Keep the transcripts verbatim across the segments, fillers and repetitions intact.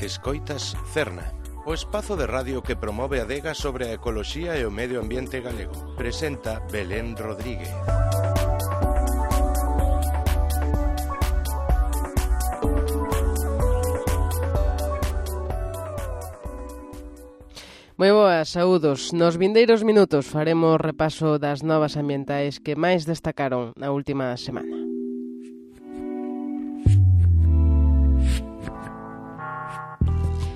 Escoitas Cerna, o espazo de radio que promove a adega sobre a ecoloxía e o medio ambiente galego. Presenta Belén Rodríguez. Moi boas, saúdos. Nos vindeiros minutos faremos repaso das novas ambientais que máis destacaron na última semana.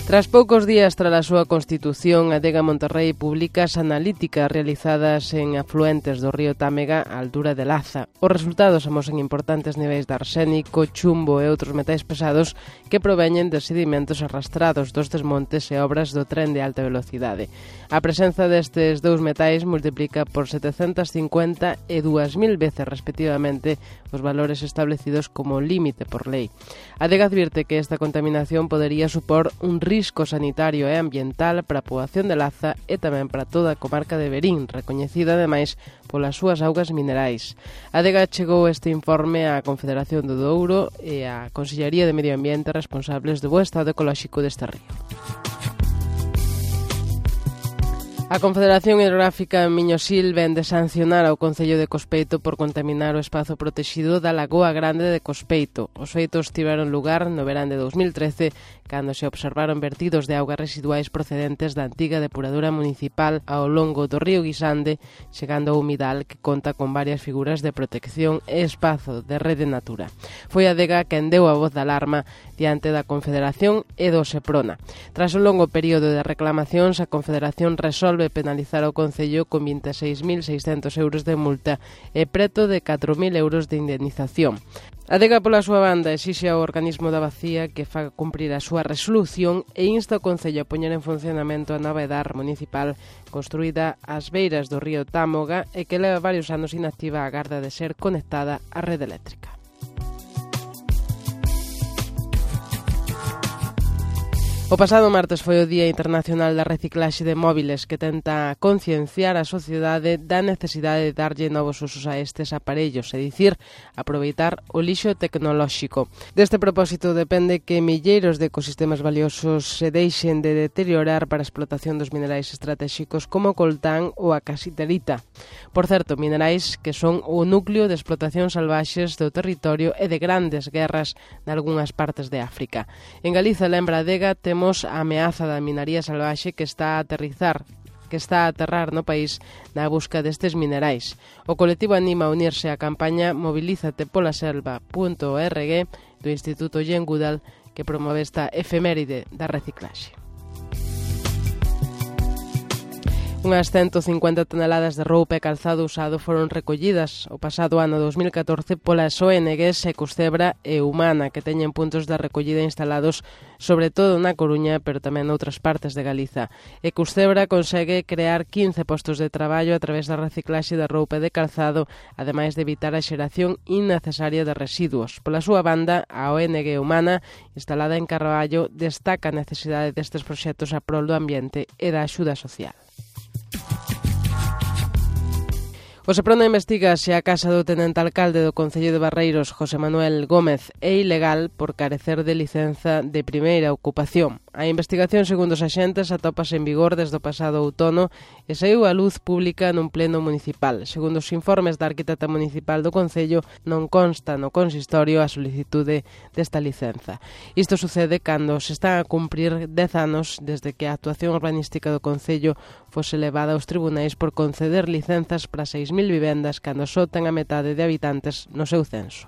Tras poucos días tras a súa constitución, a Adega Monterrei publica as analíticas realizadas en afluentes do río Támega á altura de Laza. Os resultados amosan importantes niveis de arsénico, chumbo e outros metais pesados que proveñen de sedimentos arrastrados dos desmontes e obras do tren de alta velocidade. A presenza destes dous metais multiplica por setecentas cincuenta e dúas mil veces respectivamente os valores establecidos como límite por lei. A Adega advirte que esta contaminación podería supor un risco sanitario e ambiental para a poboación de Laza e tamén para toda a comarca de Verín, recoñecida ademais polas súas augas minerais. A Adega chegou este informe á Confederación do Douro e á Consellería de Medio Ambiente responsables do bo estado ecolóxico deste río. A Confederación Hidrográfica Miñosil ven de sancionar ao Concello de Cospeito por contaminar o espazo protexido da Lagoa Grande de Cospeito. Os feitos tiveron lugar no verán de dous mil trece, cando se observaron vertidos de augas residuais procedentes da antiga depuradora municipal ao longo do río Guisande, chegando ao humidal que conta con varias figuras de protección e espazo de rede natura. Foi a Adega quen deu a voz de alarma diante da Confederación e do Seprona. Tras un longo período de reclamacións, a Confederación resolve penalizar ao Concello con vinte e seis mil seiscentos euros de multa e preto de catro mil euros de indemnización. A Adega, pola súa banda, exixe ao organismo da Bacía que faga cumprir a súa resolución e insta ao Concello a poñer en funcionamento a nova edar municipal construída ás beiras do río Támoga e que leva varios anos inactiva a garda de ser conectada á rede eléctrica. O pasado martes foi o Día Internacional da Reciclaxe de Móviles, que tenta concienciar a sociedade da necesidade de darlle novos usos a estes aparellos, é dicir, aproveitar o lixo tecnolóxico. Deste propósito depende que milleiros de ecosistemas valiosos se deixen de deteriorar para a explotación dos minerais estratéxicos como o coltán ou a casiterita. Por certo, minerais que son o núcleo de explotación salvaxes do territorio e de grandes guerras nalgúnas partes de África. En Galiza, lembra a Adega, temos a ameaza da minaría salvaxe que está a aterrizar que está a aterrar no país na busca destes minerais. O colectivo anima a unirse á campaña movilízate pola selva punto org do Instituto Jane Goodall que promove esta efeméride da reciclaxe. Unhas ciento cincuenta toneladas de roupa e calzado usado foron recollidas o pasado ano dos mil catorce polas O N Gs Ecusdebra e Humana, que teñen puntos de recollida instalados sobre todo na Coruña, pero tamén noutras partes de Galiza. Ecusdebra consegue crear quince postos de traballo a través da reciclaxe de roupa e de calzado, ademais de evitar a xeración innecesaria de residuos. Pola súa banda, a O N G Humana, instalada en Carballo, destaca a necesidade destes proxectos a prol do ambiente e da axuda social. O Seprona investiga se a casa do tenente alcalde do Concello de Barreiros, José Manuel Gómez, é ilegal por carecer de licenza de primeira ocupación. A investigación, segundo os axentes, atópase en vigor desde o pasado outono e saiu á luz pública nun pleno municipal. Segundo os informes da arquitecta municipal do Concello, non consta no consistorio a solicitude desta licenza. Isto sucede cando se están a cumprir dez anos desde que a actuación urbanística do Concello fose levada aos tribunais por conceder licenzas para seis mil vivendas cando só ten a metade de habitantes no seu censo.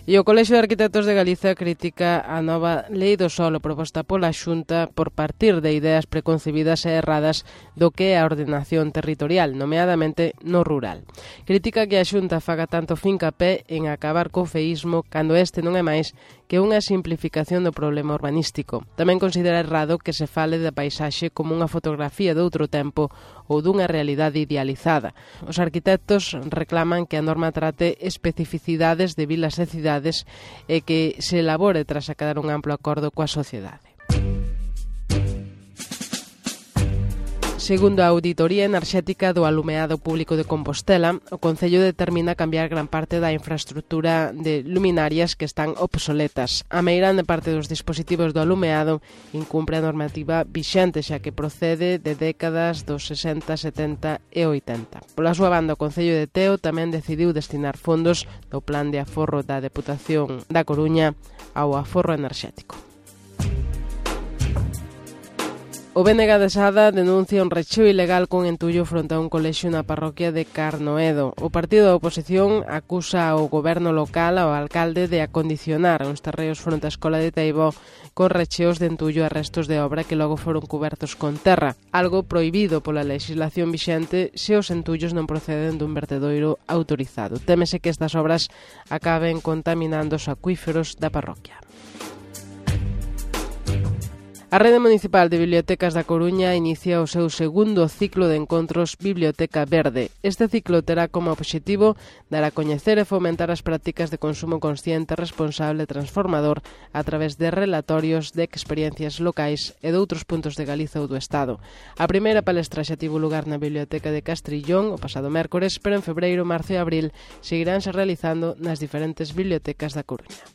E o Colexio de Arquitectos de Galiza critica a nova Lei do Solo proposta pola Xunta por partir de ideas preconcebidas e erradas do que é a ordenación territorial, nomeadamente no rural. Critica que a Xunta faga tanto fincapé en acabar co feísmo cando este non é máis que unha simplificación do problema urbanístico. Tamén considera errado que se fale da paisaxe como unha fotografía de outro tempo ou dunha realidade idealizada. Os arquitectos reclaman que a norma trate especificidades de vilas e cidades e que se elabore tras acadar un amplo acordo coa sociedade. Segundo a Auditoría Enerxética do Alumeado Público de Compostela, o Concello determina cambiar gran parte da infraestructura de luminarias que están obsoletas. A meirande parte dos dispositivos do alumeado incumpre a normativa vixente, xa que procede de décadas dos sesenta, setenta e oitenta. Pola súa banda, o Concello de Teo tamén decidiu destinar fondos do Plan de Aforro da Deputación da Coruña ao aforro enerxético. O B N G de Sada denuncia un recheo ilegal con entullo fronte a un colexio na parroquia de Carnoedo. O partido da oposición acusa ao goberno local, ao alcalde, de acondicionar uns terreos fronte á escola de Teibó con recheos de entullo a restos de obra que logo foron cubertos con terra, algo prohibido pola legislación vixente se os entullos non proceden dun vertedoiro autorizado. Témese que estas obras acaben contaminando os acuíferos da parroquia. A Rede Municipal de Bibliotecas da Coruña inicia o seu segundo ciclo de encontros Biblioteca Verde. Este ciclo terá como obxectivo dar a coñecer e fomentar as prácticas de consumo consciente, responsable e transformador a través de relatorios de experiencias locais e de outros puntos de Galiza ou do Estado. A primeira palestra xa tivo lugar na Biblioteca de Castrillón o pasado mércores, pero en febreiro, marzo e abril seguiránse realizando nas diferentes bibliotecas da Coruña.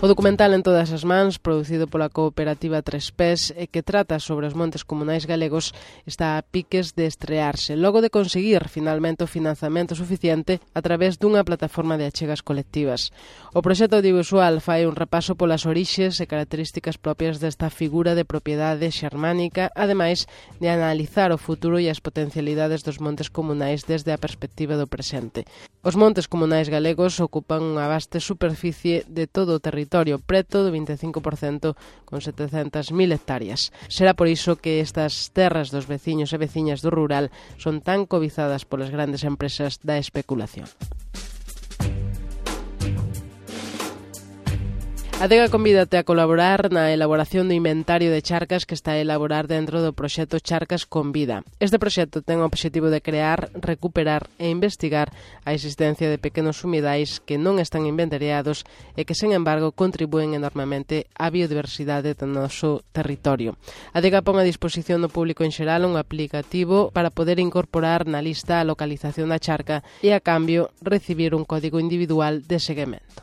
O documental En todas as mans, producido pola cooperativa Tres Pés e que trata sobre os montes comunais galegos, está a piques de estrearse, logo de conseguir finalmente o financiamento suficiente a través dunha plataforma de achegas colectivas. O proxecto audiovisual fai un repaso polas orixes e características propias desta figura de propiedade xermánica, ademais de analizar o futuro e as potencialidades dos montes comunais desde a perspectiva do presente. Os montes comunais galegos ocupan unha vaste superficie de todo o territorio, preto do vinte e cinco por cento, con setecentas mil hectáreas. Será por iso que estas terras dos veciños e veciñas do rural son tan cobizadas polas grandes empresas da especulación. A Adega convídate a colaborar na elaboración do inventario de charcas que está a elaborar dentro do proxecto Charcas con Vida. Este proxecto ten o obxectivo de crear, recuperar e investigar a existencia de pequenos humidais que non están inventariados e que, sen embargo, contribúen enormemente á biodiversidade do noso territorio. A Adega pon a disposición do público en xeral un aplicativo para poder incorporar na lista a localización da charca e, a cambio, recibir un código individual de seguimento.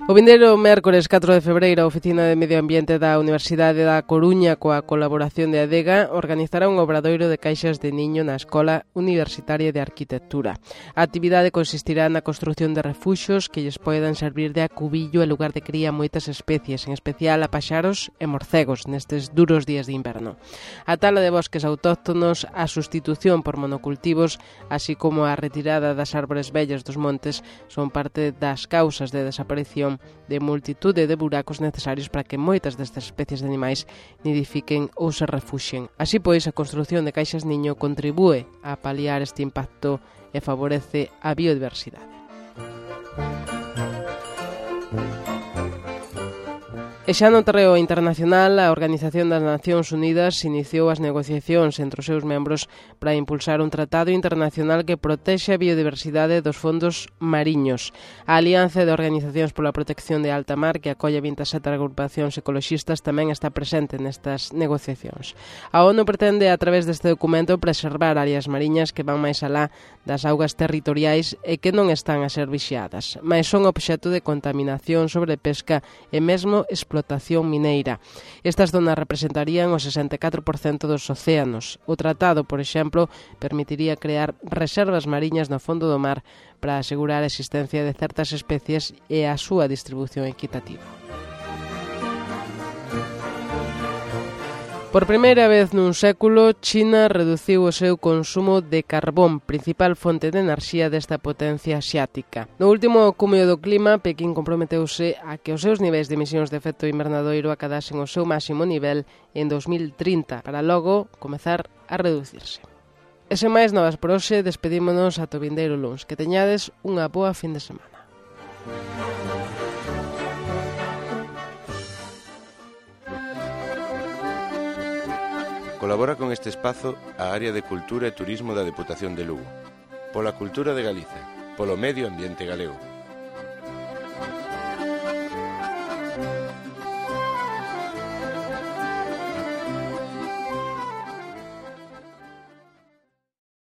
O vindeiro mércores catro de febreiro, a Oficina de Medio Ambiente da Universidade da Coruña, coa colaboración de Adega, organizará un obradoiro de caixas de niño na Escola Universitaria de Arquitectura. A actividade consistirá na construción de refuxos que lles poidan servir de acubillo e lugar de cría a moitas especies, en especial a paxaros e morcegos, nestes duros días de inverno. A tala de bosques autóctonos, a sustitución por monocultivos, así como a retirada das árbores vellas dos montes, son parte das causas de desaparición de multitude de buracos necesarios para que moitas destas especies de animais nidifiquen ou se refuxen. Así pois, a construción de caixas niño contribúe a paliar este impacto e favorece a biodiversidade. E xa no terreo internacional, a Organización das Nacións Unidas iniciou as negociacións entre os seus membros para impulsar un tratado internacional que protexe a biodiversidade dos fondos mariños. A Alianza de Organizacións pola Protección de Alta Mar, que acolle vinte e sete agrupacións ecoloxistas, tamén está presente nestas negociacións. A ONU pretende, a través deste documento, preservar áreas mariñas que van máis alá das augas territoriais e que non están a ser vixiadas, mas son obxecto de contaminación, sobrepesca e mesmo explotación explotación mineira. Estas zonas representarían o sesenta e catro por cento dos océanos. O tratado, por exemplo, permitiría crear reservas mariñas no fondo do mar para asegurar a existencia de certas especies e a súa distribución equitativa. Por primeira vez nun século, China reduciu o seu consumo de carbón, principal fonte de enerxía desta potencia asiática. No último cumio do clima, Pequín comprometeuse a que os seus niveis de emisións de efecto invernadoiro acadasen o seu máximo nivel en dos mil trinta, para logo comezar a reducirse. E sen máis novas por hoxe, despedímonos ata o vindeiro luns. Que teñades unha boa fin de semana. Colabora con este espazo a Área de Cultura e Turismo da Deputación de Lugo. Pola cultura de Galiza, polo medio ambiente galego.